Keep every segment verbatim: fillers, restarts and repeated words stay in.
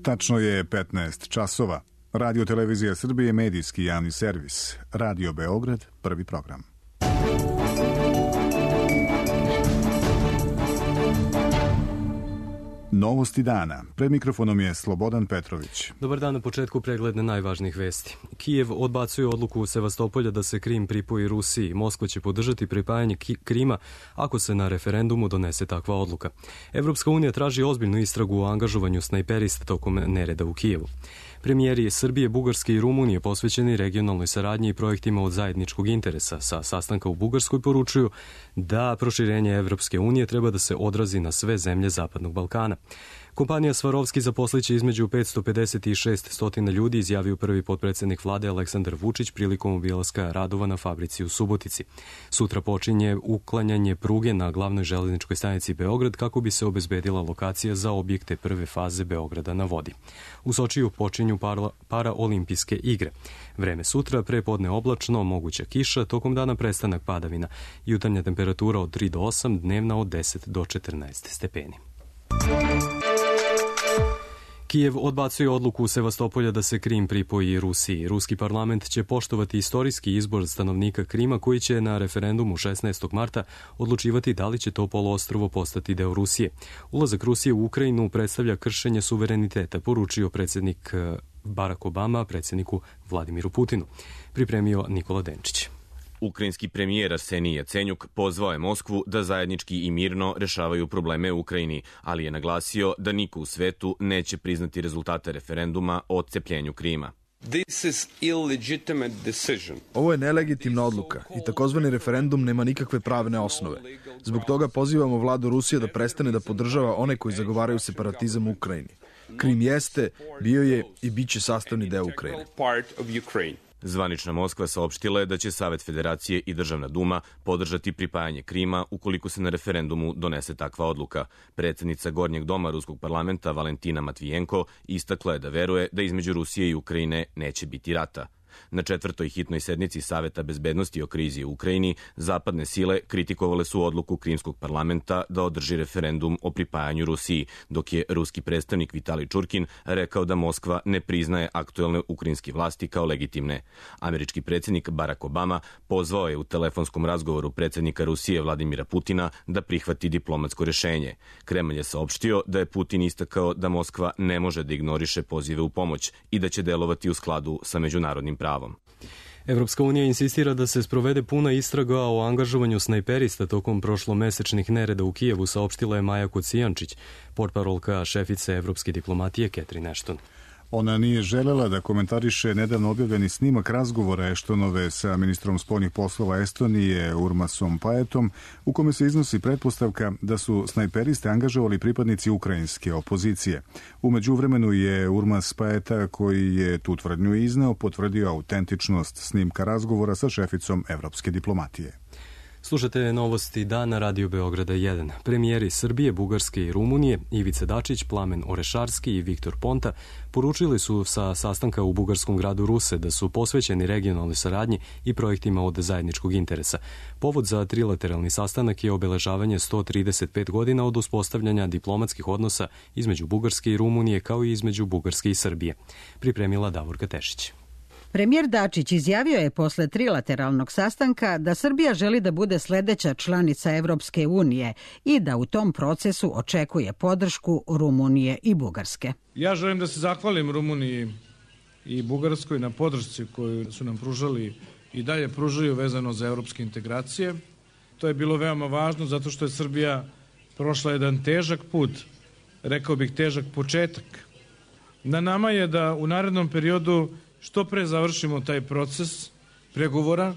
Tačno je petnaest časova. Radio Televizija Srbije, medijski javni servis. Radio Beograd, prvi program. Novosti dana. Pred mikrofonom je Slobodan Petrović. Dobar dan, na početku pregled najvažnijih vesti. Kijev odbacuje odluku Sevastopolja da se Krim pripoji Rusiji. Moskva će podržati pripajanje Krima ako se na referendumu donese takva odluka. Evropska unija traži ozbiljnu istragu o angažovanju snajperista tokom nereda u Kijevu. Premijeri Srbije, Bugarske i Rumunije posvećeni regionalnoj saradnji i projektima od zajedničkog interesa sa sastanka u Bugarskoj poručuju da proširenje Evropske unije treba da se odrazi na sve zemlje Zapadnog Balkana. Kompanija Svarovski zaposliće između petsto pedeset i šeststo ljudi, izjavio prvi potpredsjednik vlade Aleksandar Vučić prilikom obilaska radova na fabrici u Subotici. Sutra počinje uklanjanje pruge na glavnoj železničkoj stanici Beograd kako bi se obezbedila lokacija za objekte prve faze Beograda na vodi. U Sočiju počinju para, paraolimpijske igre. Vreme sutra, prepodne oblačno, moguća kiša, tokom dana prestanak padavina. Jutarnja temperatura od tri do osam, dnevna od deset do četrnaest stepeni. Kijev odbacuje odluku Sevastopolja da se Krim pripoji Rusiji. Ruski parlament će poštovati istorijski izbor stanovnika Krima koji će na referendumu šesnaestog marta odlučivati da li će to poluostrvo postati deo Rusije. Ulazak Rusije u Ukrajinu predstavlja kršenje suvereniteta, poručio predsjednik Barack Obama predsjedniku Vladimiru Putinu. Pripremio Nikola Denčić. Ukrajinski premijer Arsenij Jacenjuk pozvao je Moskvu da zajednički i mirno rešavaju probleme u Ukrajini, ali je naglasio da niko u svetu neće priznati rezultate referenduma o otcepljenju Krima. Ovo je nelegitimna odluka i takozvani referendum nema nikakve pravne osnove. Zbog toga pozivamo vladu Rusije da prestane da podržava one koji zagovaraju separatizam u Ukrajini. Krim jeste, bio je i bit će sastavni deo Ukrajine. Zvanična Moskva saopštila je da će Savet Federacije i Državna duma podržati pripajanje Krima ukoliko se na referendumu donese takva odluka. Predsjednica Gornjeg doma Ruskog parlamenta Valentina Matvijenko istakla je da veruje da između Rusije i Ukrajine neće biti rata. Na četvrtoj hitnoj sednici Saveta bezbednosti o krizi u Ukrajini zapadne sile kritikovale su odluku Krimskog parlamenta da održi referendum o pripajanju Rusiji, dok je ruski predstavnik Vitalij Čurkin rekao da Moskva ne priznaje aktuelne ukrajinske vlasti kao legitimne. Američki predsjednik Barack Obama pozvao je u telefonskom razgovoru predsjednika Rusije Vladimira Putina da prihvati diplomatsko rešenje. Kremlj je saopštio da je Putin istakao da Moskva ne može da ignoriše pozive u pomoć i da će delovati u skladu sa međunarodnim pravom. Evropska unija insistira da se sprovede puna istraga o angažovanju snajperista tokom prošlomesečnih nereda u Kijevu, saopštila je Maja Kocijančić, portparolka šefice evropske diplomatije Catherine Ashton. Ona nije želela da komentariše nedavno objavljeni snimak razgovora Eštonove sa ministrom spoljnih poslova Estonije Urmasom Paetom, u kome se iznosi pretpostavka da su snajperiste angažovali pripadnici ukrajinske opozicije. U međuvremenu je Urmas Paeta, koji je tu tvrdnju izneo, potvrdio autentičnost snimka razgovora sa šeficom evropske diplomatije. Slušate novosti dana Radio Beograda jedan. Premijeri Srbije, Bugarske i Rumunije, Ivica Dačić, Plamen Orešarski i Viktor Ponta poručili su sa sastanka u bugarskom gradu Ruse da su posvećeni regionalnoj saradnji i projektima od zajedničkog interesa. Povod za trilateralni sastanak je obeležavanje sto trideset pet godina od uspostavljanja diplomatskih odnosa između Bugarske i Rumunije kao i između Bugarske i Srbije. Pripremila Davorka Tešić. Premijer Dačić izjavio je posle trilateralnog sastanka da Srbija želi da bude sledeća članica Evropske unije i da u tom procesu očekuje podršku Rumunije i Bugarske. Ja želim da se zahvalim Rumuniji i Bugarskoj na podršci koju su nam pružali i dalje pružaju vezano za evropske integracije. To je bilo veoma važno zato što je Srbija prošla jedan težak put, rekao bih težak početak. Na nama je da u narednom periodu što pre završimo taj proces pregovora.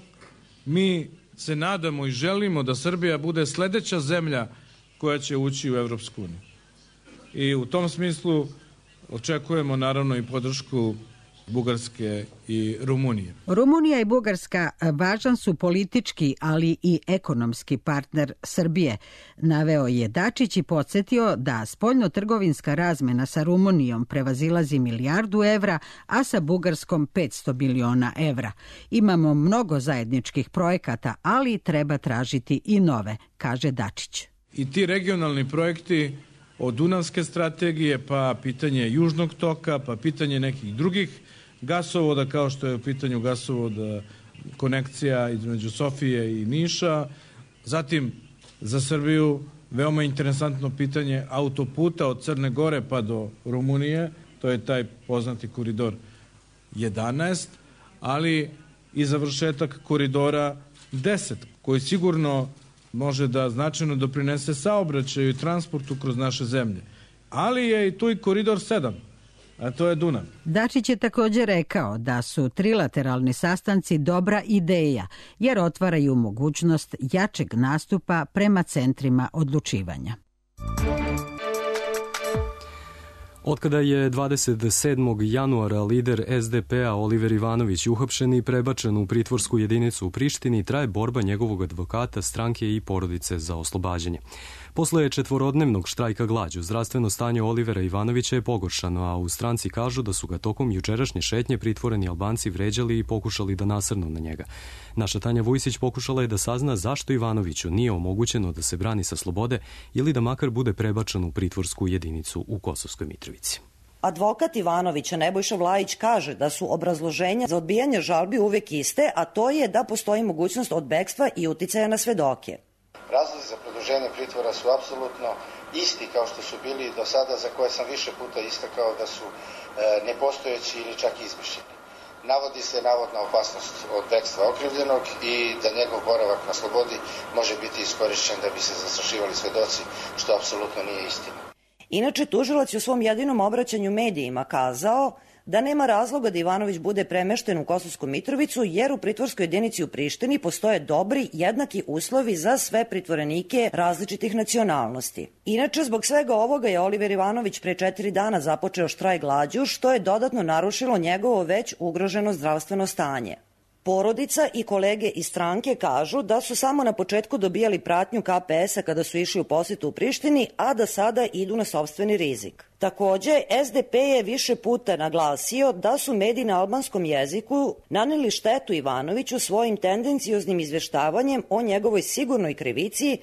Mi se nadamo i želimo da Srbija bude sledeća zemlja koja će ući u Evropsku uniju. I u tom smislu očekujemo naravno i podršku Bugarske i Rumunije. Rumunija i Bugarska važan su politički, ali i ekonomski partner Srbije, naveo je Dačić i podsjetio da spoljno-trgovinska razmena sa Rumunijom prevazilazi milijardu evra, a sa Bugarskom petsto miliona evra. Imamo mnogo zajedničkih projekata, ali treba tražiti i nove, kaže Dačić. I ti regionalni projekti od Dunavske strategije, pa pitanje Južnog toka, pa pitanje nekih drugih gasovoda, kao što je u pitanju gasovoda konekcija između Sofije i Niša. Zatim, za Srbiju veoma interesantno pitanje autoputa od Crne Gore pa do Rumunije, to je taj poznati koridor jedanaest, ali i završetak koridora deset, koji sigurno može da značajno doprinese saobraćaju i transportu kroz naše zemlje. Ali je i tu i koridor sedam, a to je Dunav. Dačić je također rekao da su trilateralni sastanci dobra ideja, jer otvaraju mogućnost jačeg nastupa prema centrima odlučivanja. Otkada je dvadeset sedmog januara lider es de pe-a Oliver Ivanović uhapšen i prebačen u pritvorsku jedinicu u Prištini, traje borba njegovog advokata, stranke i porodice za oslobađanje. Posle četvorodnevnog štrajka glađu, zdravstveno stanje Olivera Ivanovića je pogoršano, a u stranci kažu da su ga tokom jučerašnje šetnje pritvoreni Albanci vređali i pokušali da nasrnu na njega. Naša Tanja Vujsić pokušala je da sazna zašto Ivanoviću nije omogućeno da se brani sa slobode ili da makar bude prebačen u pritvorsku jedinicu u Kosovskoj Mitrovici. Advokat Ivanovića Nebojša Vlajić kaže da su obrazloženja za odbijanje žalbi uvek iste, a to je da postoji mogućnost od bekstva i uticaja na svedoke. Razlozi za produženje pritvora su apsolutno isti kao što su bili do sada, za koje sam više puta istakao da su e, nepostojeći ili čak izmišljeni. Navodi se navodna opasnost od bekstva okrivljenog i da njegov boravak na slobodi može biti iskorišćen da bi se zastrašivali svedoci, što apsolutno nije istina. Inače, tužilac je u svom jedinom obraćanju medijima kazao da nema razloga da Ivanović bude premešten u Kosovsku Mitrovicu, jer u pritvorskoj jedinici u Prištini postoje dobri, jednaki uslovi za sve pritvorenike različitih nacionalnosti. Inače, zbog svega ovoga je Oliver Ivanović pre četiri dana započeo štrajk glađu, što je dodatno narušilo njegovo već ugroženo zdravstveno stanje. Porodica i kolege iz stranke kažu da su samo na početku dobijali pratnju ka pe es-a kada su išli u posetu u Prištini, a da sada idu na sopstveni rizik. Takođe, es de pe je više puta naglasio da su mediji na albanskom jeziku naneli štetu Ivanoviću svojim tendencioznim izveštavanjem o njegovoj sigurnoj krivici,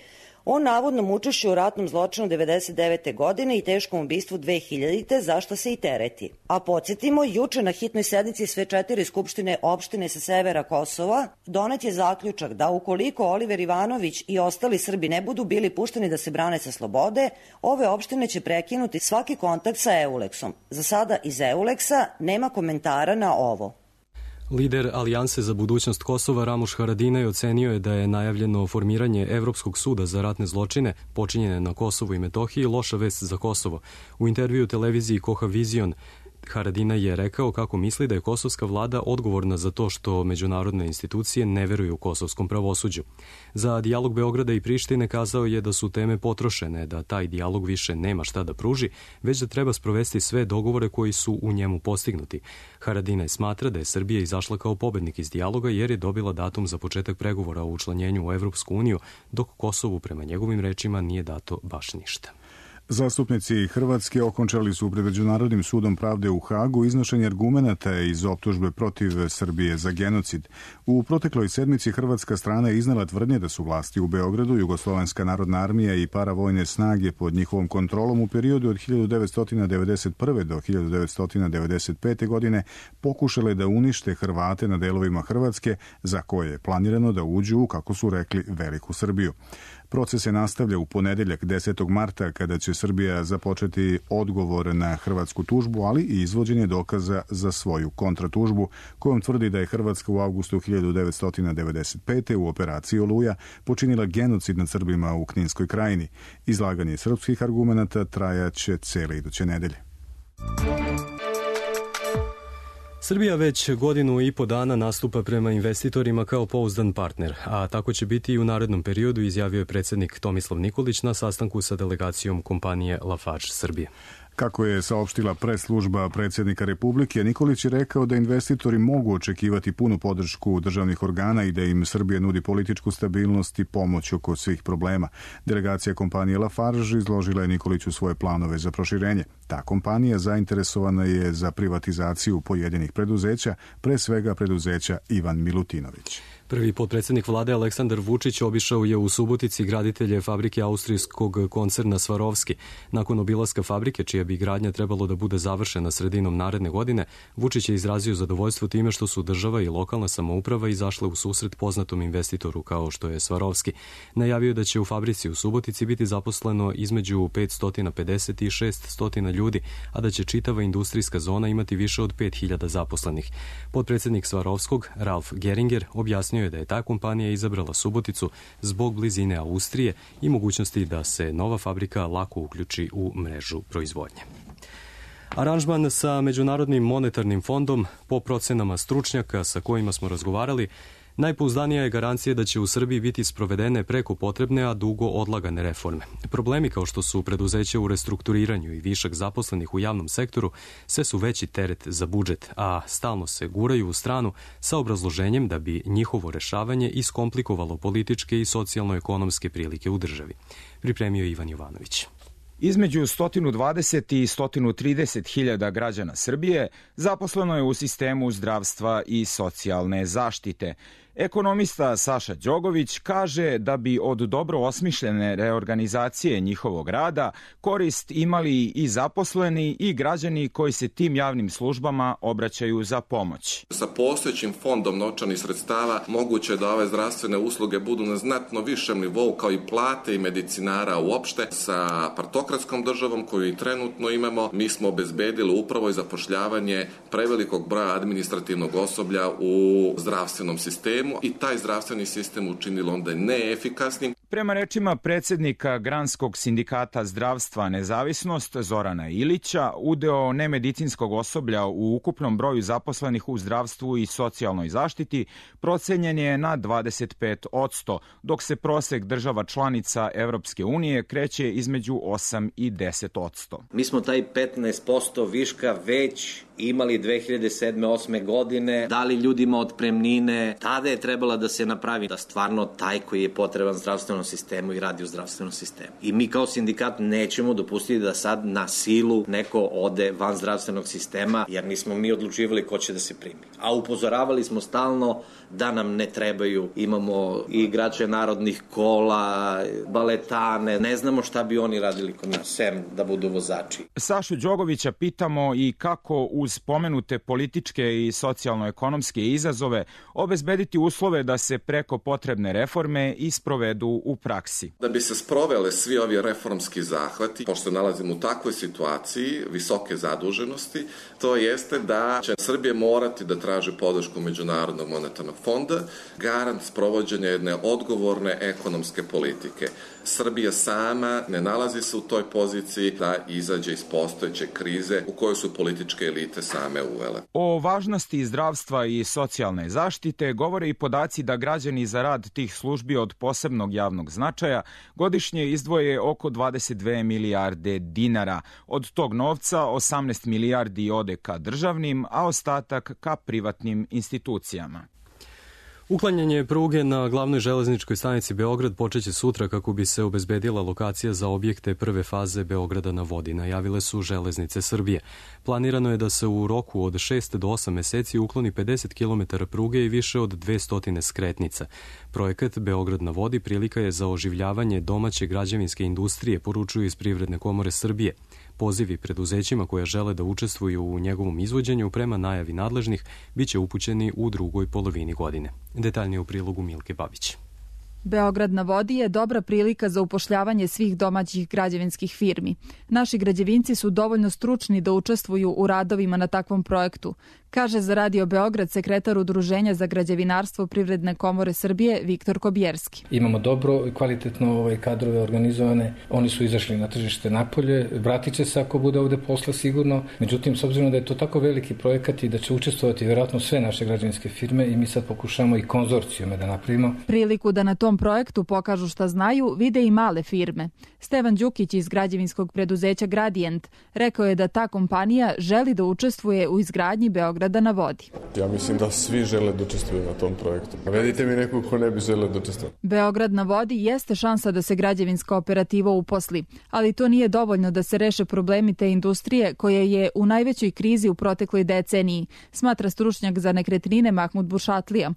o navodnom učešću u ratnom zločinu devedeset devete. godine i teškom ubistvu dve hiljadite. za što se i tereti. A podsjetimo, juče na hitnoj sednici sve četiri skupštine opštine sa severa Kosova donet je zaključak da ukoliko Oliver Ivanović i ostali Srbi ne budu bili pušteni da se brane sa slobode, ove opštine će prekinuti svaki kontakt sa Euleksom. Za sada iz Euleksa nema komentara na ovo. Lider Alijanse za budućnost Kosova Ramuš Haradinaj ocenio je da je najavljeno formiranje Evropskog suda za ratne zločine počinjene na Kosovu i Metohiji loša vest za Kosovo. U intervju televiziji Koha Vizion Haradinaj je rekao kako misli da je kosovska vlada odgovorna za to što međunarodne institucije ne veruju u kosovskom pravosuđu. Za dijalog Beograda i Prištine kazao je da su teme potrošene, da taj dijalog više nema šta da pruži, već da treba sprovesti sve dogovore koji su u njemu postignuti. Haradinaj smatra da je Srbija izašla kao pobednik iz dijaloga jer je dobila datum za početak pregovora o učlanjenju u Evropsku uniju, dok Kosovu prema njegovim rečima nije dato baš ništa. Zastupnici Hrvatske okončali su pred Međunarodnim sudom pravde u Hagu iznošenje argumenata iz optužbe protiv Srbije za genocid. U protekloj sedmici hrvatska strana je iznela tvrdnje da su vlasti u Beogradu, Jugoslovenska narodna armija i paravojne snage pod njihovom kontrolom u periodu od hiljadu devetsto devedeset prve. do hiljadu devetsto devedeset pete. godine pokušale da unište Hrvate na delovima Hrvatske za koje je planirano da uđu u, kako su rekli, Veliku Srbiju. Proces se nastavlja u ponedeljak desetog marta kada će Srbija započeti odgovor na hrvatsku tužbu, ali i izvođenje dokaza za svoju kontratužbu, kojom tvrdi da je Hrvatska u avgustu hiljadu devetsto devedeset pete. u operaciji Oluja počinila genocid nad Srbima u Kninskoj krajini. Izlaganje srpskih argumenata trajaće cele iduće nedelje. Srbija već godinu i po dana nastupa prema investitorima kao pouzdan partner, a tako će biti i u narednom periodu, izjavio je predsjednik Tomislav Nikolić na sastanku sa delegacijom kompanije Lafarge Srbije. Kako je saopštila press-služba predsjednika Republike, Nikolić je rekao da investitori mogu očekivati punu podršku državnih organa i da im Srbija nudi političku stabilnost i pomoć oko svih problema. Delegacija kompanije Lafarge izložila je Nikoliću svoje planove za proširenje. Ta kompanija zainteresovana je za privatizaciju pojedinih preduzeća, pre svega preduzeća Ivan Milutinović. Prvi potpredsjednik vlade Aleksandar Vučić obišao je u Subotici graditelje fabrike austrijskog koncerna Swarovski. Nakon obilaska fabrike, čija bi gradnja trebalo da bude završena sredinom naredne godine, Vučić je izrazio zadovoljstvo time što su država i lokalna samouprava izašle u susret poznatom investitoru kao što je Swarovski. Najavio da će u fabrici u Subotici biti zaposleno između petsto pedeset i šesto ljudi, a da će čitava industrijska zona imati više od pet hiljada zaposlenih. Potpredsjednik Swarovskog, Ralf Geringer, objasnio je da je ta kompanija izabrala Suboticu zbog blizine Austrije i mogućnosti da se nova fabrika lako uključi u mrežu proizvodnje. Aranžman sa Međunarodnim monetarnim fondom, po procenama stručnjaka sa kojima smo razgovarali, najpouzdanija je garancija da će u Srbiji biti sprovedene preko potrebne, a dugo odlagane reforme. Problemi kao što su preduzeća u restrukturiranju i višak zaposlenih u javnom sektoru sve su veći teret za budžet, a stalno se guraju u stranu sa obrazloženjem da bi njihovo rešavanje iskomplikovalo političke i socijalno-ekonomske prilike u državi. Pripremio je Ivan Jovanović. Između sto dvadeset i sto trideset hiljada građana Srbije zaposleno je u sistemu zdravstva i socijalne zaštite. Ekonomista Saša Đogović kaže da bi od dobro osmišljene reorganizacije njihovog rada korist imali i zaposleni i građani koji se tim javnim službama obraćaju za pomoć. Sa postojećim fondom novčanih sredstava moguće je da ove zdravstvene usluge budu na znatno višem nivou kao i plate i medicinara uopšte. Sa partokratskom državom koju i trenutno imamo, mi smo obezbedili upravo i zapošljavanje prevelikog broja administrativnog osoblja u zdravstvenom sistemu i taj zdravstveni sistem učinilo onda neefikasnim. Prema rečima predsjednika Granskog sindikata zdravstva Nezavisnost Zorana Ilića, udeo nemedicinskog osoblja u ukupnom broju zaposlenih u zdravstvu i socijalnoj zaštiti procenjen je na dvadeset pet posto, dok se prosek država članica Evropske unije kreće između osam i deset posto. Mi smo taj petnaest posto viška već imali dve hiljade sedme osme godine, dali ljudima otpremnine, tada je trebala da se napravi da stvarno taj koji je potreban zdravstvenom sistemu i radi u zdravstvenom sistemu. I mi kao sindikat nećemo dopustiti da sad na silu neko ode van zdravstvenog sistema, jer nismo mi odlučivali ko će da se primi. A upozoravali smo stalno da nam ne trebaju, imamo i igrače narodnih kola, baletane, ne znamo šta bi oni radili kod nas, sem da budu vozači. Sašu Đogovića pitamo i kako uz pomenute političke i socijalno-ekonomske izazove obezbediti uslove da se preko potrebne reforme isprovedu u praksi. Da bi se sprovele svi ovi reformski zahvati, pošto se nalazimo u takvoj situaciji visoke zaduženosti, to jeste da će Srbija morati da traži podršku Međunarodnog monetarnog fonda, garant sprovođenja jedne odgovorne ekonomske politike. Srbija sama ne nalazi se u toj poziciji da izađe iz postojeće krize u kojoj su političke elite same uvele. O važnosti zdravstva i socijalne zaštite govore i podaci da građani za rad tih službi od posebnog javnog značaja godišnje izdvoje oko dvadeset dve milijarde dinara. Od tog novca osamnaest milijardi ode ka državnim, a ostatak ka privatnim institucijama. Uklanjanje pruge na glavnoj železničkoj stanici Beograd počeće sutra kako bi se obezbedila lokacija za objekte prve faze Beograda na vodi, najavile su Železnice Srbije. Planirano je da se u roku od šest do osam meseci ukloni pedeset kilometara pruge i više od dvesta skretnica. Projekat Beograd na vodi prilika je za oživljavanje domaće građevinske industrije, poručuju iz Privredne komore Srbije. Pozivi preduzećima koja žele da učestvuju u njegovom izvođenju prema najavi nadležnih biće upućeni u drugoj polovini godine. Detaljnije u prilogu Milke Babić. Beograd na vodi je dobra prilika za upošljavanje svih domaćih građevinskih firmi. Naši građevinci su dovoljno stručni da učestvuju u radovima na takvom projektu, kaže za Radio Beograd sekretar Udruženja za građevinarstvo Privredne komore Srbije Viktor Kobjerski. Imamo dobro i kvalitetno ovaj, kadrove organizovane, oni su izašli na tržište napolje, vratit će se ako bude ovde posla sigurno, međutim s obzirom da je to tako veliki projekat i da će učestvovati vjerojatno sve naše građevinske firme i mi sad pokušamo i konzorcijume da napravimo. Priliku da na tom projektu pokažu šta znaju vide i male firme. Stevan Đukić iz građevinskog preduzeća Gradient rekao je da ta kompanija želi da učestvuje u izgradnji Beograda na vodi. Ja mislim da svi žele da učestvuju na tom projektu. Navedite mi nekog ko ne bi želeo da učestvuje. Beograd na vodi jeste šansa da se građevinska operativa uposli, ali to nije dovoljno da se reše problemi te industrije koja je u najvećoj krizi u protekloj deceniji, smatra stručnjak za nekretnine Mahmud Bušatlija.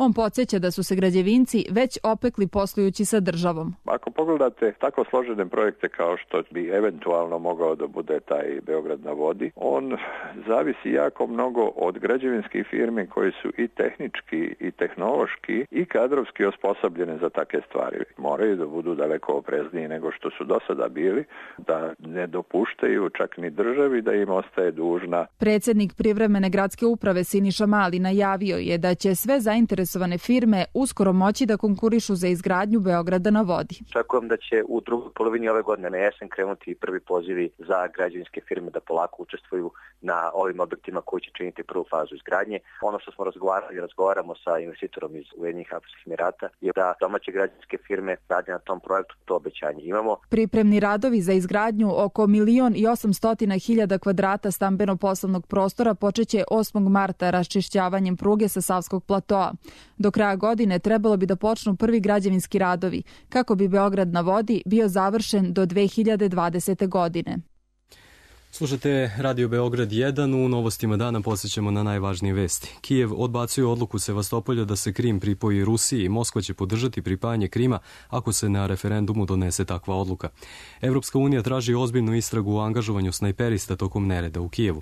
On podsjeća da su se građevinci već opekli poslujući sa državom. Ako pogledate tako složene projekte kao što bi eventualno mogao da bude taj Beograd na vodi, on zavisi jako mnogo od građevinskih firmi koji su i tehnički i tehnološki i kadrovski osposobljene za takve stvari. Moraju da budu daleko oprezniji nego što su do sada bili, da ne dopuštaju čak ni državi da im ostaje dužna. Predsjednik privremene gradske uprave Siniša Mali najavio je da će sve zainteresovane firme uskoro moći da konkurišu za izgradnju Beograda na vodi. Očekujem da će u drugoj polovini ove godine na jesen krenuti prvi pozivi za građevinske firme da polako učestvuju na ovim objektima koji će činiti prvu fazu izgradnje. Ono što smo razgovarali, razgovaramo sa investitorom iz Ujedinjenih Arapskih Emirata je da domaće građevinske firme rade na tom projektu, to obećanje imamo. Pripremni radovi za izgradnju oko milion i osamstotina hiljada kvadrata stambeno-poslovnog prostora počeće osmog marta raščišćavanjem pruge sa Savskog platoa. Do kraja godine trebalo bi da počnu prvi građevinski radovi, kako bi Beograd na vodi bio završen do dve hiljade dvadesete. godine. Slušate Radio Beograd jedan, u novostima dana posjećamo na najvažnije vesti. Kijev odbacuje odluku Sevastopolja da se Krim pripoji Rusiji. Moskva će podržati pripajanje Krima ako se na referendumu donese takva odluka. Evropska unija traži ozbiljnu istragu o angažovanju snajperista tokom nereda u Kijevu.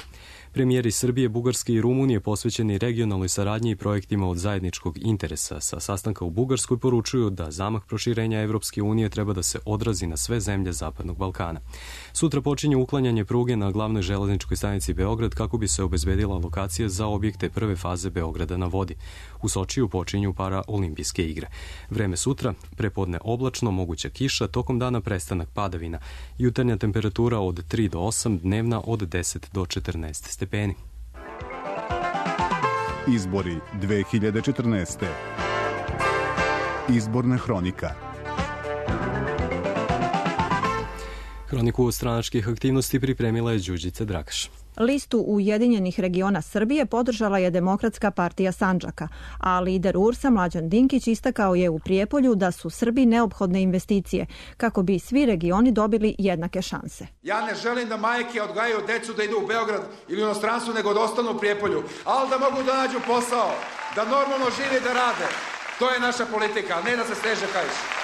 Premijeri Srbije, Bugarske i Rumunije posvećeni regionalnoj saradnji i projektima od zajedničkog interesa sa sastanka u Bugarskoj poručuju da zamah proširenja Evropske unije treba da se odrazi na sve zemlje Zapadnog Balkana. Sutra počinje uklanjanje pruge na glavnoj železničkoj stanici Beograd kako bi se obezbedila lokacija za objekte prve faze Beograda na vodi. U Sočiju počinju paraolimpijske igre. Vreme sutra, prepodne oblačno, moguća kiša, tokom dana prestanak padavina. Jutarnja temperatura od tri do osam, dnevna od deset do četrnaest stepeni. Izbori dve hiljade četrnaeste. Izborna hronika. Hroniku stranačkih aktivnosti pripremila je Đurđica Drakaš. Listu Ujedinjenih regiona Srbije podržala je Demokratska partija Sandžaka, a lider U R S-a Mlađan Dinkić istakao je u Prijepolju da su Srbiji neophodne investicije kako bi svi regioni dobili jednake šanse. Ja ne želim da majke odgajaju decu da idu u Beograd ili u inostranstvu, nego da ostanu u Prijepolju, ali da mogu da nađu posao, da normalno žive i da rade. To je naša politika, a ne da se steže kajši.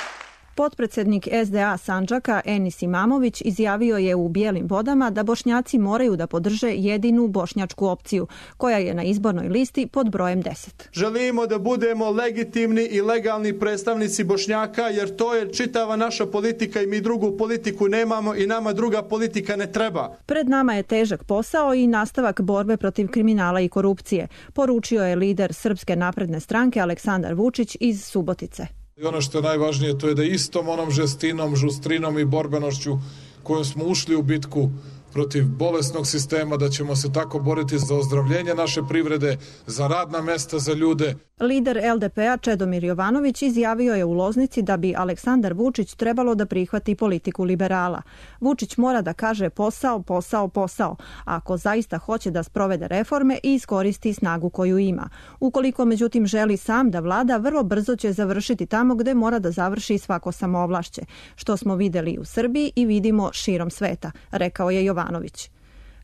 Potpredsednik S D A Sandžaka Enis Imamović izjavio je u Bijelim vodama da Bošnjaci moraju da podrže jedinu bošnjačku opciju, koja je na izbornoj listi pod brojem deset. Želimo da budemo legitimni i legalni predstavnici Bošnjaka, jer to je čitava naša politika i mi drugu politiku nemamo i nama druga politika ne treba. Pred nama je težak posao i nastavak borbe protiv kriminala i korupcije, poručio je lider Srpske napredne stranke Aleksandar Vučić iz Subotice. I ono što je najvažnije, to je da istom onom žestinom, žustrinom i borbenošću kojom smo ušli u bitku protiv bolesnog sistema, da ćemo se tako boriti za ozdravljenje naše privrede, za radna mesta za ljude. Lider L D P-a Čedomir Jovanović izjavio je u Loznici da bi Aleksandar Vučić trebalo da prihvati politiku liberala. Vučić mora da kaže posao, posao, posao, ako zaista hoće da sprovede reforme i iskoristi snagu koju ima. Ukoliko međutim želi sam da vlada, vrlo brzo će završiti tamo gde mora da završi svako samoovlašće, što smo videli u Srbiji i vidimo širom sveta, rekao je Jovanović.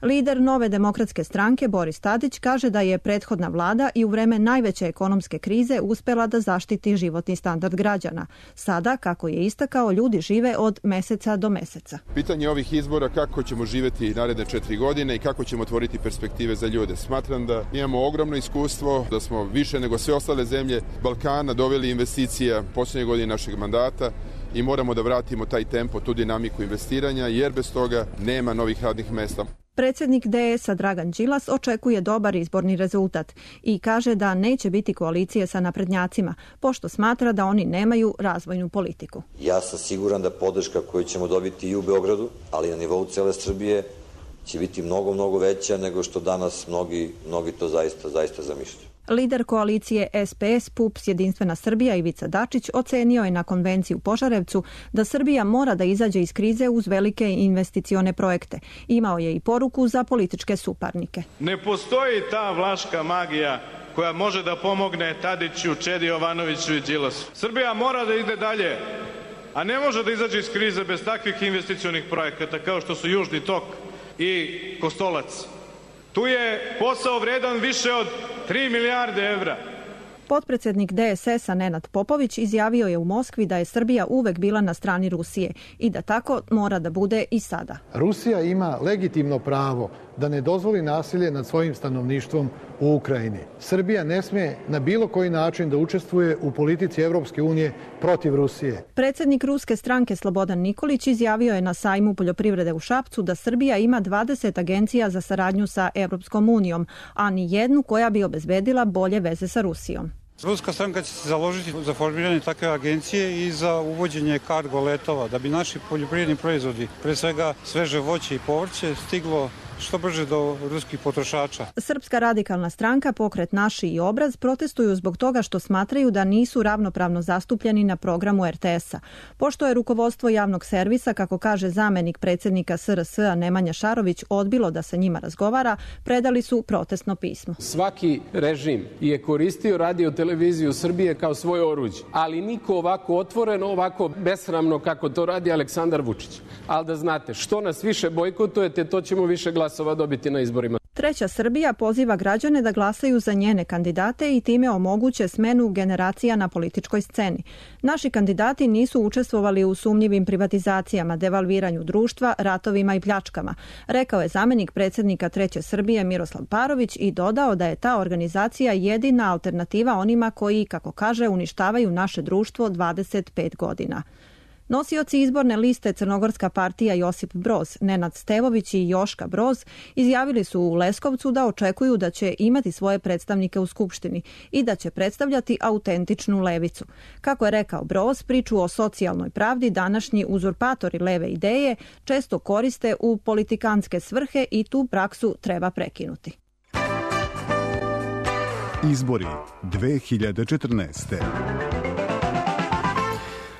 Lider Nove demokratske stranke Boris Tadić kaže da je prethodna vlada i u vreme najveće ekonomske krize uspela da zaštiti životni standard građana. Sada, kako je istakao, ljudi žive od meseca do meseca. Pitanje ovih izbora kako ćemo živjeti naredne četiri godine i kako ćemo otvoriti perspektive za ljude. Smatram da imamo ogromno iskustvo, da smo više nego sve ostale zemlje Balkana doveli investicija posljednje godine našeg mandata i moramo da vratimo taj tempo, tu dinamiku investiranja, jer bez toga nema novih radnih mesta. Predsjednik D S-a Dragan Đilas očekuje dobar izborni rezultat i kaže da neće biti koalicije sa naprednjacima, pošto smatra da oni nemaju razvojnu politiku. Ja sam siguran da podrška koju ćemo dobiti i u Beogradu, ali na nivou cele Srbije, će biti mnogo, mnogo veća nego što danas mnogi, mnogi to zaista, zaista zamišljaju. Lider koalicije S P S, P U P S, Jedinstvena Srbija Ivica Dačić ocenio je na konvenciji u Požarevcu da Srbija mora da izađe iz krize uz velike investicione projekte. Imao je i poruku za političke suparnike. Ne postoji ta vlaška magija koja može da pomogne Tadiću, Čedi Jovanoviću i Đilasu. Srbija mora da ide dalje, a ne može da izađe iz krize bez takvih investicionih projekata kao što su Južni tok i Kostolac. Tu je posao vredan više od tri milijarde evra. Potpredsjednik D S S-a Nenad Popović izjavio je u Moskvi da je Srbija uvek bila na strani Rusije i da tako mora da bude i sada. Rusija ima legitimno pravo da ne dozvoli nasilje nad svojim stanovništvom u Ukrajini. Srbija ne sme na bilo koji način da učestvuje u politici Evropske unije protiv Rusije. Predsjednik ruske stranke Slobodan Nikolić izjavio je na sajmu poljoprivrede u Šapcu da Srbija ima dvadeset agencija za saradnju sa Evropskom unijom, a ni jednu koja bi obezbedila bolje veze sa Rusijom. Ruska stranka će se založiti za formiranje takve agencije i za uvođenje kargo letova, da bi naši poljoprivredni proizvodi, pre svega sveže voće i povrće, stiglo što brže do ruskih potrošača. Srpska radikalna stranka, Pokret Naši i Obraz protestuju zbog toga što smatraju da nisu ravnopravno zastupljeni na programu R T S-a. Pošto je rukovodstvo javnog servisa, kako kaže zamenik predsjednika S R S-a Nemanja Šarović, odbilo da sa njima razgovara, predali su protestno pismo. Svaki režim je koristio radio televiziju Srbije kao svoje oruđe, ali niko ovako otvoreno, ovako besramno kako to radi Aleksandar Vučić. Ali da znate, što nas više bojkotujete, to ćemo više glasova dobiti na izborima. Treća Srbija poziva građane da glasaju za njene kandidate i time omoguće smenu generacija na političkoj sceni. Naši kandidati nisu učestvovali u sumnjivim privatizacijama, devalviranju društva, ratovima i pljačkama, rekao je zamenik predsjednika Treće Srbije Miroslav Parović i dodao da je ta organizacija jedina alternativa onima koji, kako kaže, uništavaju naše društvo dvadeset pet godina. Nosioci izborne liste Crnogorska partija Josip Broz, Nenad Stevović i Joška Broz izjavili su u Leskovcu da očekuju da će imati svoje predstavnike u Skupštini i da će predstavljati autentičnu levicu. Kako je rekao Broz, priču o socijalnoj pravdi današnji uzurpatori leve ideje često koriste u politikanske svrhe i tu praksu treba prekinuti. Izbori dve hiljade četrnaeste.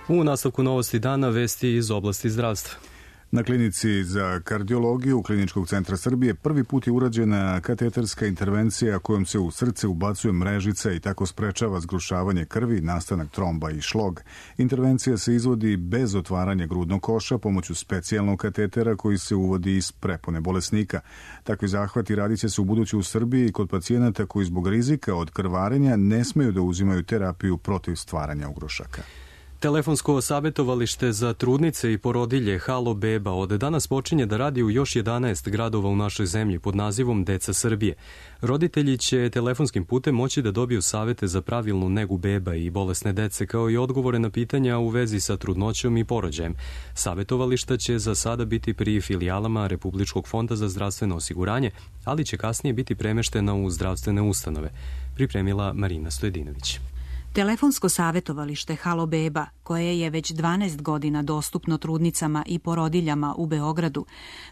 U nastavku novosti dana vesti iz oblasti zdravstva. Na klinici za kardiologiju Kliničkog centra Srbije prvi put je urađena kateterska intervencija kojom se u srce ubacuje mrežica i tako sprečava zgrušavanje krvi, nastanak tromba i šlog. Intervencija se izvodi bez otvaranja grudnog koša pomoću specijalnog katetera koji se uvodi iz prepone bolesnika. Takvi zahvati radit će se u buduće u Srbiji kod pacijenata koji zbog rizika od krvarenja ne smeju da uzimaju terapiju protiv stvaranja ugrušaka. Telefonsko savjetovalište za trudnice i porodilje Halo Beba od danas počinje da radi u još jedanaest gradova u našoj zemlji pod nazivom Deca Srbije. Roditelji će telefonskim putem moći da dobiju savjete za pravilnu negu beba i bolesne dece, kao i odgovore na pitanja u vezi sa trudnoćom i porođajem. Savjetovališta će za sada biti pri filijalama Republičkog fonda za zdravstveno osiguranje, ali će kasnije biti premeštena u zdravstvene ustanove, pripremila Marina Stojedinović. Telefonsko savjetovalište Halo Beba, koje je već dvanaest godina dostupno trudnicama i porodiljama u Beogradu,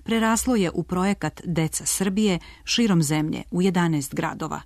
preraslo je u projekat Deca Srbije širom zemlje u jedanaest gradova.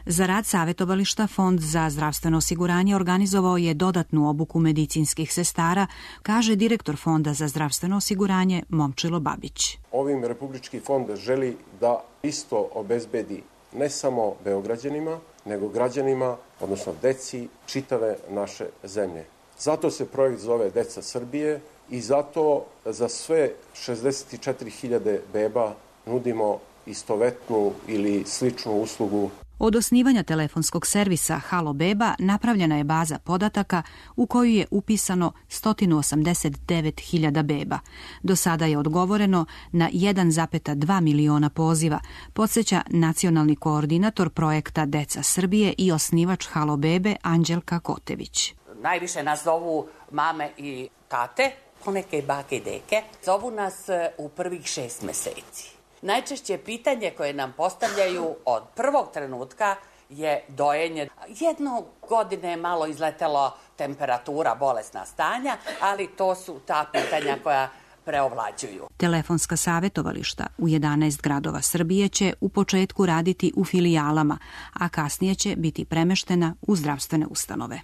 Za rad savjetovališta Fond za zdravstveno osiguranje organizovao je dodatnu obuku medicinskih sestara, kaže direktor Fonda za zdravstveno osiguranje Momčilo Babić. Ovim Republički fond želi da isto obezbedi ne samo Beograđanima, nego građanima, odnosno deci čitave naše zemlje. Zato se projekt zove Deca Srbije i zato za sve šezdeset četiri hiljade beba nudimo istovetnu ili sličnu uslugu. Od osnivanja telefonskog servisa Halo Beba napravljena je baza podataka u koju je upisano sto osamdeset devet hiljada beba. Do sada je odgovoreno na jedan zarez dva miliona poziva, podsjeća nacionalni koordinator projekta Deca Srbije i osnivač Halo Bebe Anđelka Kotević. Najviše nas zovu mame i tate, poneke i bake i deke. Zovu nas u prvih šest meseci. Najčešće pitanje koje nam postavljaju od prvog trenutka je dojenje. Jedno godine je malo izletelo temperatura, bolesna stanja, ali to su ta pitanja koja preovlađuju. Telefonska savjetovališta u jedanaest gradova Srbije će u početku raditi u filijalama, a kasnije će biti premeštena u zdravstvene ustanove.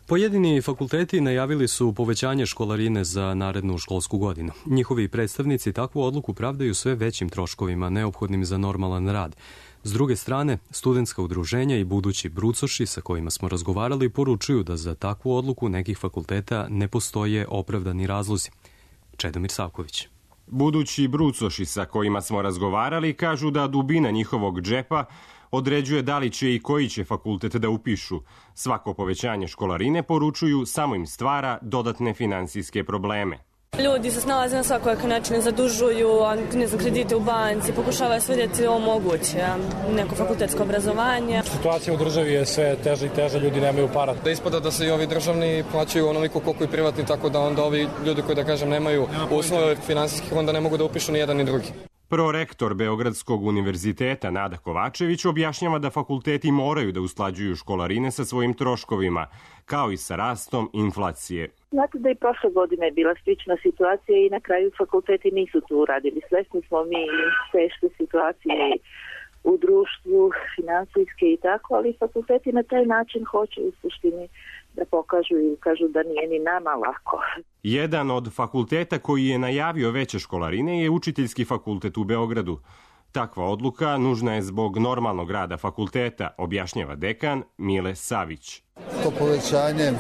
Pojedini fakulteti najavili su povećanje školarine za narednu školsku godinu. Njihovi predstavnici takvu odluku pravdaju sve većim troškovima neophodnim za normalan rad. S druge strane, studentska udruženja i budući brucoši sa kojima smo razgovarali poručuju da za takvu odluku nekih fakulteta ne postoje opravdani razlozi. Čedomir Savković. Budući brucoši sa kojima smo razgovarali kažu da dubina njihovog džepa određuje da li će i koji će fakultet da upišu. Svako povećanje školarine, poručuju, samo im stvara dodatne finansijske probleme. Ljudi se snalaze na svakojake načine, zadužuju, ne znam, kredite u banci, pokušavaju sve djeci omoguće neko fakultetsko obrazovanje. Situacija u državi je sve teža i teža, ljudi nemaju para. Da ispada da se i ovi državni plaćaju onoliko koliko i privatni, tako da onda ovi ljudi koji, da kažem, nemaju uslove finansijskih, onda ne mogu da upišu ni jedan ni drugi. Prorektor Beogradskog univerziteta Nada Kovačević objašnjava da fakulteti moraju da usklađuju školarine sa svojim troškovima, kao i sa rastom inflacije. Znate da i prošle godine je bila slična situacija i na kraju fakulteti nisu tu uradili. Svesni smo mi teške situacije u društvu, finansijske i tako, ali fakulteti na taj način hoće u suštini da pokažu i kažu da nije ni nama lako. Jedan od fakulteta koji je najavio veće školarine je Učiteljski fakultet u Beogradu. Takva odluka nužna je zbog normalnog rada fakulteta, objašnjava dekan Mile Savić. To povećanje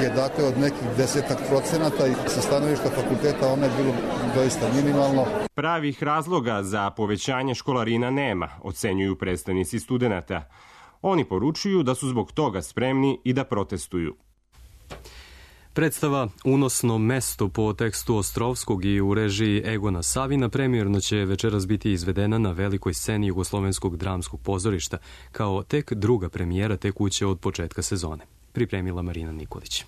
je dakle od nekih desetak procenata i sa stanovišta fakulteta ono je bilo doista minimalno. Pravih razloga za povećanje školarina nema, ocenjuju predstavnici studenata. Oni poručuju da su zbog toga spremni i da protestuju. Predstava Unosno mesto po tekstu Ostrovskog i u režiji Egona Savina premijerno će večeras biti izvedena na velikoj sceni Jugoslovenskog dramskog pozorišta kao tek druga premijera te kuće od početka sezone. Pripremila Marina Nikolić.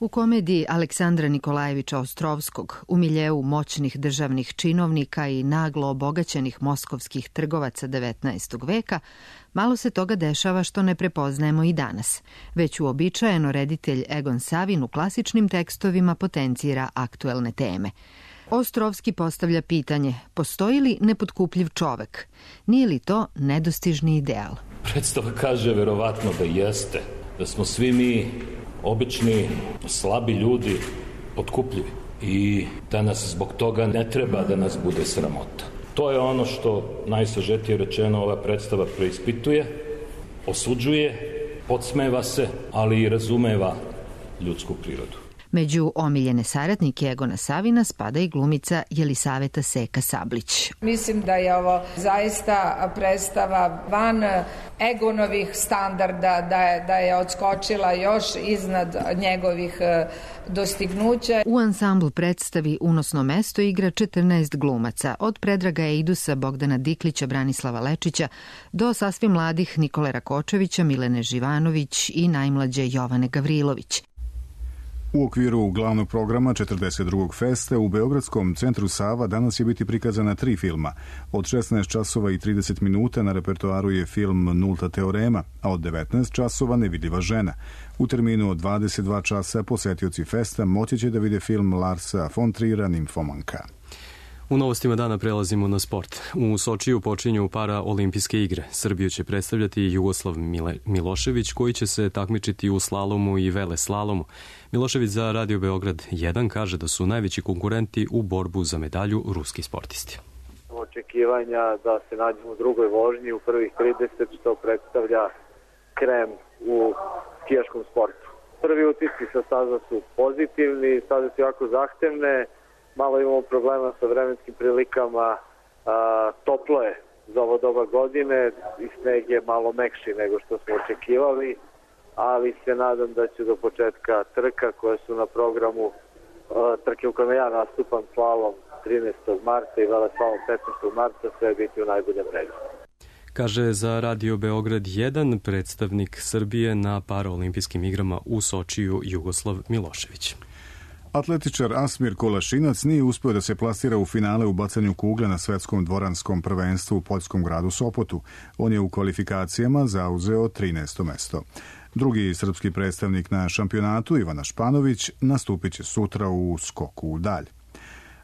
U komediji Aleksandra Nikolajevića Ostrovskog, u miljeu moćnih državnih činovnika i naglo obogaćenih moskovskih trgovaca devetnaestog veka, malo se toga dešava što ne prepoznajemo i danas. Već uobičajeno reditelj Egon Savin u klasičnim tekstovima potencira aktuelne teme. Ostrovski postavlja pitanje, postoji li nepotkupljiv čovek? Nije li to nedostižni ideal? Predstava kaže verovatno da jeste, da smo svi mi obični, slabi ljudi, potkupljivi i da nas zbog toga ne treba da nas bude sramota. To je ono što, najsažetije rečeno, ova predstava preispituje, osuđuje, podsmeva se, ali i razumeva ljudsku prirodu. Među omiljene saradnike Egona Savina spada i glumica Jelisaveta Seka Sablić. Mislim da je ovo zaista predstava van Egonovih standarda, da je, da je odskočila još iznad njegovih dostignuća. U ansamblu predstavi Unosno mesto igra četrnaest glumaca, od Predraga Eidusa, Bogdana Diklića, Branislava Lečića, do sasvim mladih Nikole Rakočevića, Milene Živanović i najmlađe Jovane Gavrilović. U okviru glavnog programa četrdeset drugog festa u Beogradskom centru Sava danas će biti prikazana tri filma. Od šesnaest časova i trideset minuta na repertoaru je film Nulta teorema, a od devetnaest časova Nevidljiva žena. U terminu od dvadeset dva časa posetioci festa moći će da vide film Larsa von Trier'a Nimfomanka. U novostima dana prelazimo na sport. U Sočiju počinju paraolimpijske igre. Srbiju će predstavljati Jugoslav Milošević, koji će se takmičiti u slalomu i veleslalomu. Milošević za Radio Beograd jedan kaže da su najveći konkurenti u borbu za medalju ruski sportisti. Očekivanja da se nađemo u drugoj vožnji u prvih trideset, što predstavlja krem u skijaškom sportu. Prvi utisci sa staza su pozitivni, staze su jako zahtevne, malo imamo problema sa vremenskim prilikama, a, toplo je za ovo doba godine i sneg je malo mekši nego što smo očekivali, ali se nadam da će do početka trka koje su na programu a, trke u kojima ja nastupam slalom trinaestog marta i veleslalom petnaestog marta sve biti u najboljem redu. Kaže za Radio Beograd jedan predstavnik Srbije na paraolimpijskim igrama u Sočiju Jugoslav Milošević. Atletičar Asmir Kolašinac nije uspeo da se plasira u finale u bacanju kugle na svetskom dvoranskom prvenstvu u poljskom gradu Sopotu. On je u kvalifikacijama zauzeo trinaesto mesto. Drugi srpski predstavnik na šampionatu, Ivana Španović, nastupit će sutra u skoku u dalj.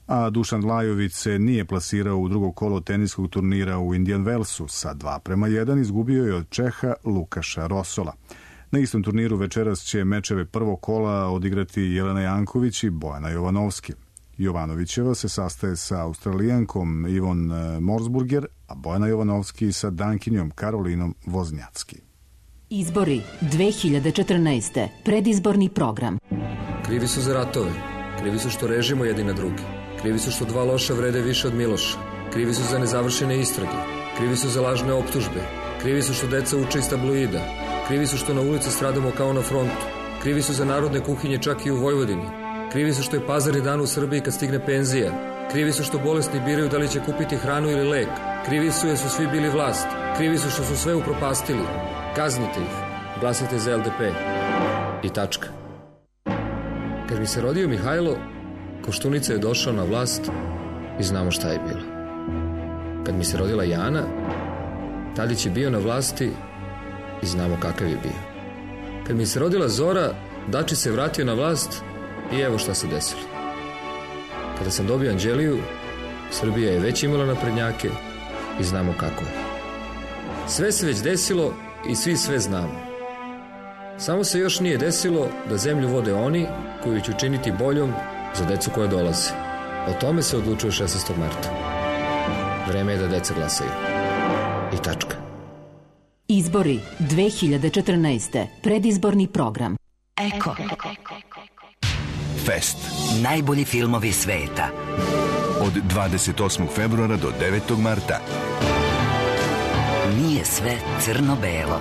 A Dušan Lajović se nije plasirao u drugo kolo teniskog turnira u Indian Wellsu. Sa dva prema jedan izgubio je od Čeha Lukaša Rosola. Na istom turniru večeras će mečeve prvog kola odigrati Jelena Janković i Bojana Jovanovski. Jovanovićeva se sastaje sa Australijankom Ivon Morsburger, a Bojana Jovanovski sa Dankinjom Karolinom Voznjacki. Izbori dve hiljade četrnaeste. Predizborni program. Krivi su za ratove. Krivi su što režimo jedni na drugi. Krivi su što dva loša vrede više od Miloša. Krivi su za nezavršene istrage. Krivi su za lažne optužbe. Krivi su što deca uče iz tabloida. Krivi su što na ulici stradamo kao na frontu. Krivi su za narodne kuhinje čak i u Vojvodini. Krivi su što je pazarni dan u Srbiji kad stigne penzija. Krivi su što bolesni biraju da li će kupiti hranu ili lek. Krivi su jer su svi bili vlast. Krivi su što su sve upropastili. Kaznite ih. Glasajte za L D P. I tačka. Kad mi se rodio Mihajlo, Koštunica je došao na vlast i znamo šta je bilo. Kad mi se rodila Jana, Tadić je bio na vlasti i znamo kakav je bio. Kad mi se rodila Zora, Dačić se vratio na vlast i evo šta se desilo. Kada sam dobio Anđeliju, Srbija je već imala naprednjake i znamo kako je. Sve se već desilo i svi sve znamo. Samo se još nije desilo da zemlju vode oni koji će učiniti boljom za decu koja dolaze. O tome se odlučuje šesnaestog marta. Vreme je da deca glasaju. I tačka. Izbori dve hiljade četrnaeste. Predizborni program. Eko. Fest. Najbolji filmovi sveta. Od dvadeset osmog februara do devetog marta. Nije sve crno-belo.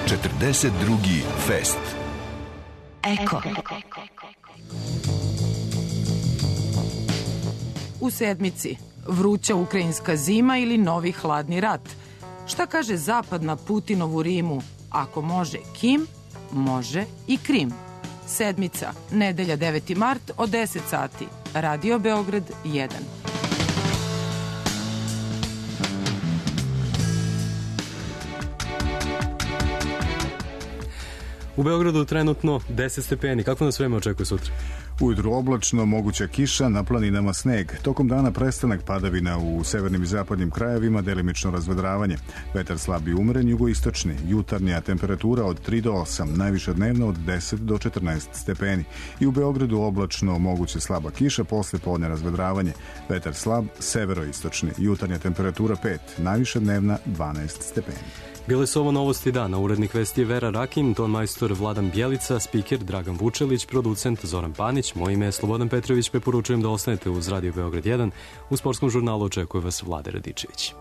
četrdeset drugi Fest. Eko. U sedmici. Vruća ukrajinska zima ili novi hladni rat. Šta kaže Zapad na Putinovu Rimu? Ako može Kim, može i Krim. Sedmica, nedelja deveti mart od deset sati. Radio Beograd jedan. U Beogradu trenutno deset stepeni. Kako nas vreme očekuje sutra? Ujutru oblačno, moguća kiša, na planinama sneg. Tokom dana prestanak padavina u severnim i zapadnim krajevima, delimično razvedravanje. Vetar slab i umeren, jugoistočni. Jutarnja temperatura od tri do osam, najviša dnevna od deset do četrnaest stepeni. I u Beogradu oblačno, moguće slaba kiša, posle podne razvedravanje. Vetar slab, severoistočni. Jutarnja temperatura pet, najviša dnevna dvanaest stepeni. Bile su ovo novosti dana. Urednik vesti je Vera Rakin, ton majstor Vladan Bjelica, spiker Dragan Vučelić, producent Zoran Panić. Moje ime je Slobodan Petrović, preporučujem da ostanete uz Radio Beograd jedan. U sportskom žurnalu očekuje vas Vlade Radičević.